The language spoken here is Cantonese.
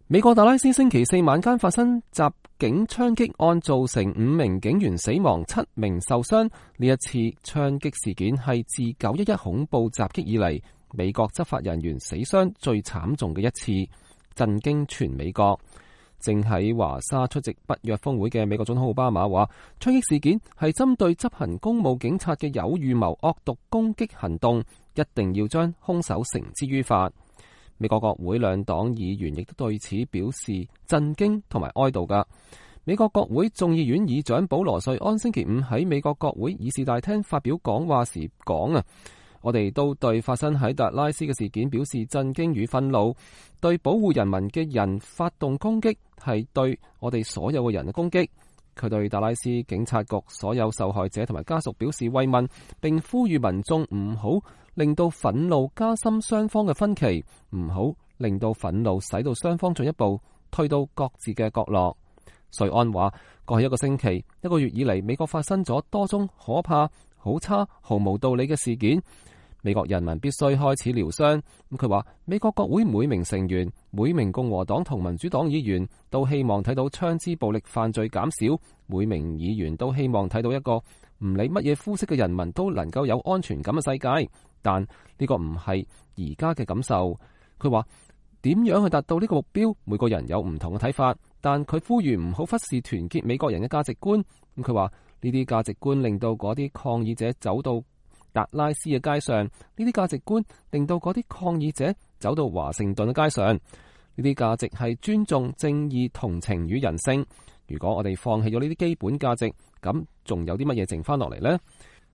美國達拉斯星期四晚間發生襲警槍擊案，造成5名警員死亡、7名受傷。呢一次槍擊事件係自911恐怖襲擊以嚟美國執法人員死傷最慘重嘅一次，震驚全美國。正喺華沙出席北約峰會嘅美國總統奧巴馬話，槍擊事件係針對執行公務警察嘅有預謀惡毒攻擊行動，一定要將兇手繩之於法。美國國會兩黨議員亦都對此表示震驚同埋哀悼㗎。美國國會眾議院議長保羅瑞安星期五喺美國國會議事大廳發表講話時講，我哋都對發生喺達拉斯嘅事件表示震驚與憤怒，對保護人民嘅人發動攻擊係對我哋所有嘅人嘅攻擊。佢對達拉斯警察局所有受害者同埋家屬表示慰問，並呼籲民眾唔好令到憤怒加深雙方嘅分歧，唔好令到憤怒使到雙方進一步退到各自嘅角落。瑞安話，過去1個星期、1個月以嚟，美國發生咗多宗可怕、好差、毫無道理嘅事件。美國人民必須開始療傷。佢話，美國國會每名成員、每名共和黨同民主黨議員都希望睇到槍支暴力犯罪減少，每名議員都希望睇到一個唔理乜嘢膚色嘅人民都能夠有安全感嘅世界。但呢個唔係而家嘅感受。佢話，點樣去達到呢個目標，每個人有唔同嘅睇法，但佢呼籲唔好忽視團結美國人嘅價值觀。佢話，呢啲價值觀令到嗰啲抗議者走到達拉斯嘅街上，呢啲價值觀令到嗰啲抗議者走到華盛頓嘅街上。呢啲價值係尊重、正義、同情與人性。如果我哋放棄咗呢啲基本價值，咁仲有啲乜嘢剩翻落嚟呢？